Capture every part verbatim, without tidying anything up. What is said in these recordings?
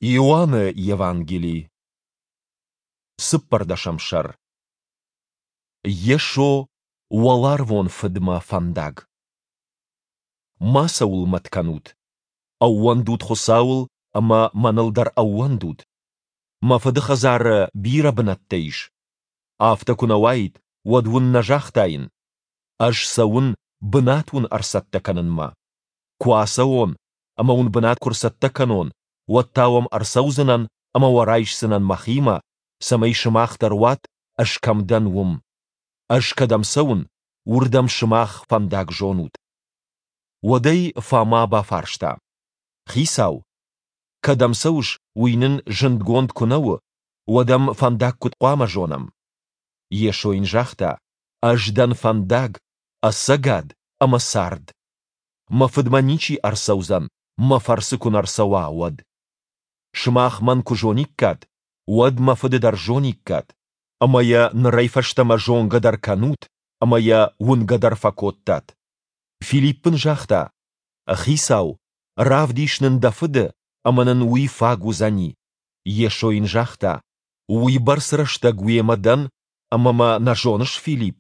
Иоанны Евангели, цыппӕрдӕсӕм сӕр. Йесо, уӕларвон Фыдмӕ фӕндаг. Мацӕуыл мӕт кӕнут. Ӕууӕндут Хуыцауыл ӕмӕ мӕныл дӕр ӕууӕндут. Мӕ Фыды хӕдзары бирӕ бынӕттӕ ис. Афтӕ куы нӕ уаид, уӕд уын нӕ загътаин: Ӕз цӕуын бынат уын ӕрцӕттӕ кӕнынмӕ. Куы ацӕуон ӕмӕ уын бынат куы рцӕттӕ кӕнон, уӕд та уӕм ӕрцӕудзынӕн ӕмӕ уӕ райсдзынӕн мӕхимӕ, цӕмӕй сымах дӕр уат, ӕз кӕм дӕн, уым. Ӕз кӕдӕм цӕуын, уырдӕм сымах фӕндаг зонут. Уӕд ӕй Фома бафарста: Хицау, кӕдӕм цӕуыс, уый нын зындгонд куы нӕ у, уӕд ӕм фӕндаг куыд хъуамӕ зонӕм? Йесо йын загъта: Ӕз дӕн фӕндаг, ӕцӕгад ӕмӕ цард. Мӕ Фыдмӕ ничи ӕрцӕудзӕн, мӕ фӕрцы куы нӕ рцӕуа, уӕд. Сымах мӕн куы зониккат, уӕд мӕ Фыды дӕр зониккат. Ӕмӕ йӕ нырӕй фӕстӕмӕ зонгӕ дӕр кӕнут ӕмӕ йӕ уынгӕ дӕр фӕкодтат. Филипп ын загъта: Хицау, равдис нын дӕ Фыды, ӕмӕ нын уый фаг уыдзӕни. Йесо йын загъта: Уыйбӕрц рӕстӕг уемӕ дӕн, ӕмӕ мӕ нӕ зоныс, Филипп?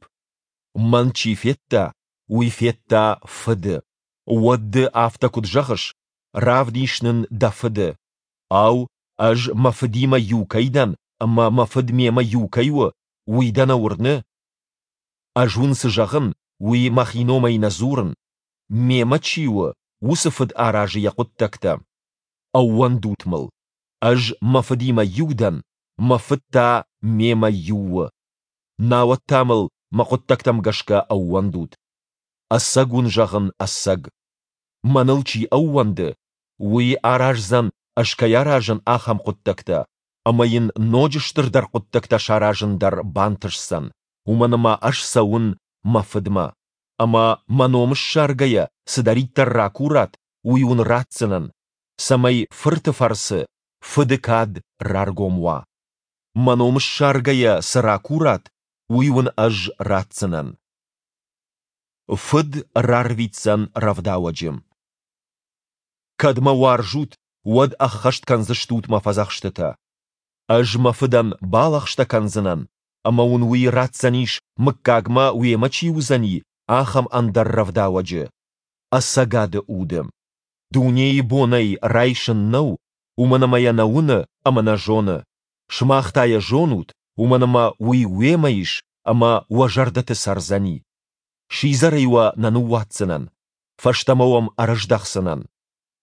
Мӕн чи федта, уый федта Фыды. Уӕд ды афтӕ куыд зӕгъыс: Равдис нын дӕ Фыды? Ау, ӕз мӕ Фыдимӕ иу кӕй дӕн ӕмӕ мӕ Фыд мемӕ иу кӕй у, уый дӕ нӕ уырны? Ӕз уын цы зӕгъын, уый мӕхи номӕй нӕ дзурын. Мемӕ чи у, уыцы Фыд аразы йӕ хъуыддӕгтӕ. Ӕууӕндут мыл, ӕз мӕ Фыдимӕ иу дӕн, мӕ Фыд та мемӕ иу у. Науӕд та мыл мӕ хъуыддӕгтӕм гӕсгӕ ӕууӕндут. Ӕцӕг уын зӕгъын, ӕцӕг. Мӕныл чи ӕууӕнды, уый араздзӕн, ӕз кӕй аразын, ахӕм хъуыддӕгтӕ, ӕмӕ йын ноджы стырдӕр хъуыддӕгтӕ саразын дӕр бантысдзӕн, уымӕн ӕмӕ ӕз цӕуын мӕ Фыдмӕ. Ӕмӕ мӕ ном ссаргӕйӕ цыдӕриддӕр ракурат, уый уын ратдзынӕн, цӕмӕй Фырты фӕрцы Фыды кад раргом уа. Мӕ ном ссаргӕйӕ цы ракурат, уый уын ӕз ратдзынӕн. Фыд рарвитдзӕн рӕвдауӕджы. Кӕд мӕ уарзут, уӕд ӕххӕст кӕндзыстут мӕ фӕдзӕхстытӕ. Ӕз мӕ Фыдӕн балӕгъстӕ кӕндзынӕн, ӕмӕ уын уый ратдзӕнис, мыггагмӕ уемӕ чи уыдзӕни, ахӕм ӕндӕр рӕвдауӕджы, ӕцӕгады Уды. Дунейы бон ӕй райсын нӕу, уымӕн ӕмӕ йӕ нӕ уыны ӕмӕ нӕ зоны. Сымах та йӕ зонут, уымӕн ӕмӕ уый уемӕ ис ӕмӕ уӕ зӕрдӕты цӕрдзӕни. Сидзӕрӕй уӕ нӕ ныууадздзынӕн, фӕстӕмӕ уӕм ӕрыздӕхдзынӕн.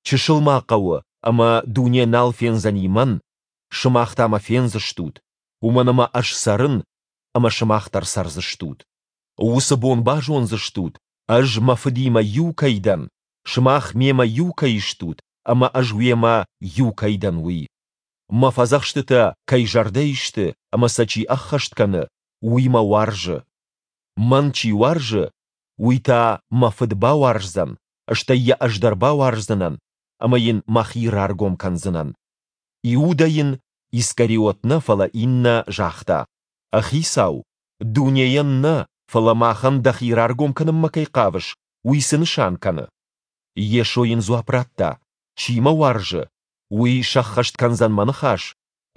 Чысыл ма хъӕуы, ӕмӕ дуне нал фендзӕни мӕн, сымах та мӕ фендзыстут, уымӕн ӕмӕ ӕз цӕрын, ӕмӕ сымах дӕр цӕрдзыстут. Уыцы бон базондзыстут, ӕз мӕ Фыдимӕ иу кӕй дӕн, сымах мемӕ иу кӕй стут ӕмӕ ӕз уемӕ иу кӕй дӕн, уый. Мӕ фӕдзӕхстытӕ кӕй зӕрдӕйы сты ӕмӕ сӕ чи ӕххӕст кӕны, уый мӕ уарзы. Мӕн чи уарзы, уый та мӕ Фыд бауарздзӕн, стӕй йӕ ӕз дӕр бауарздзынӕн ӕмӕ йын мӕхи раргом кӕндзынӕн. Иудӕ йын, Искариот нӕ, фӕлӕ иннӕ, загъта: Хицау, дунейӕн нӕ, фӕлӕ махӕн дӕхи раргом кӕнынмӕ кӕй хъавыс, уый цы нысан кӕны? Йесо йын дзуапп радта: Чи мӕ уарзы, уый сӕххӕст кӕндзӕн мӕ ныхас,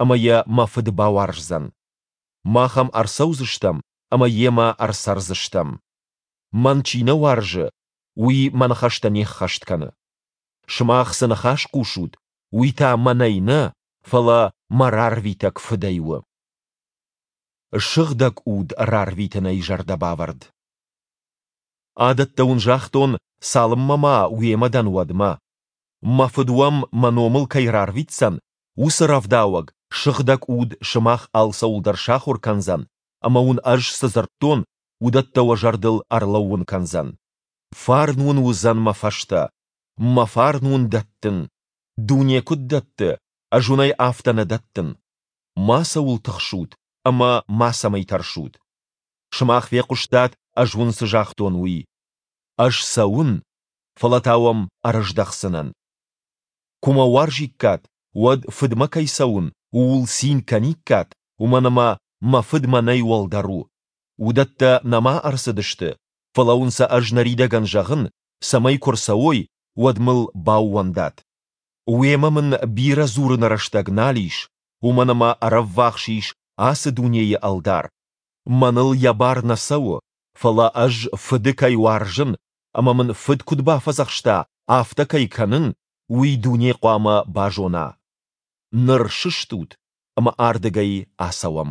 ӕмӕ йӕ мӕ Фыд бауарздзӕн. Мах ӕм ӕрцӕудзыстӕм ӕмӕ йемӕ ӕрцӕрдзыстӕм. Мӕн чи нӕ уарзы, уый мӕ ныхӕстӕ не ххӕст кӕны. Сымах цы ныхас хъусут, уый та мӕнӕй нӕ, фӕлӕ мӕ рарвитӕг Фыдӕй у. Сыгъдӕг Уд рарвитынӕй зӕрдӕбавӕрд. Адӕттӕ уын загътон, цалынмӕ ма уемӕ дӕн, уӕдмӕ. Мӕ Фыд уӕм мӕ номыл кӕй рарвитдзӕн, уыцы рӕвдауӕг, Сыгъдӕг Уд сымах алцӕуыл дӕр сахуыр кӕндзӕн ӕмӕ уын ӕз цы дзырдтон, уыдӕттӕ уӕ зӕрдыл ӕрлӕууын кӕндзӕн. Фарн уын уыдзӕн мӕ фӕстӕ. Мӕ фарн уын дӕттын. Дуне куыд дӕтты, ӕз уын ӕй афтӕ нӕ дӕттын. Мацӕуыл тыхсут ӕмӕ мацӕмӕй тӕрсут. Сымах фехъуыстат, ӕз уын цы загътон, уый. Ӕз цӕуын, фӕлӕ та уӕм ӕрыздӕхдзынӕн. Куы мӕ уарзиккат, уӕд Фыдмӕ кӕй цӕуын, ууыл цин кӕниккат, уымӕн ӕмӕ мӕ Фыд мӕнӕй уӕлдӕр у. Уыдӕттӕ нӕма ӕрцыдысты, фӕлӕ уын сӕ ӕз ныридӕгӕн зӕгъын, цӕмӕй куы рцӕуой, уӕд мыл баууӕндат. Уемӕ мын бирӕ дзурыны рӕстӕг нал ис, уымӕн ӕмӕ ӕрӕввахс ис ацы дунейы ӕлдар. Мӕныл йӕ бар нӕ цӕуы, фӕлӕ ӕз Фыды кӕй уарзын ӕмӕ мын Фыд куыд бафӕдзӕхста, афтӕ кӕй кӕнын, уый дуне хъуамӕ базона. Ныр сыстут ӕмӕ ардыгӕй ацӕуӕм.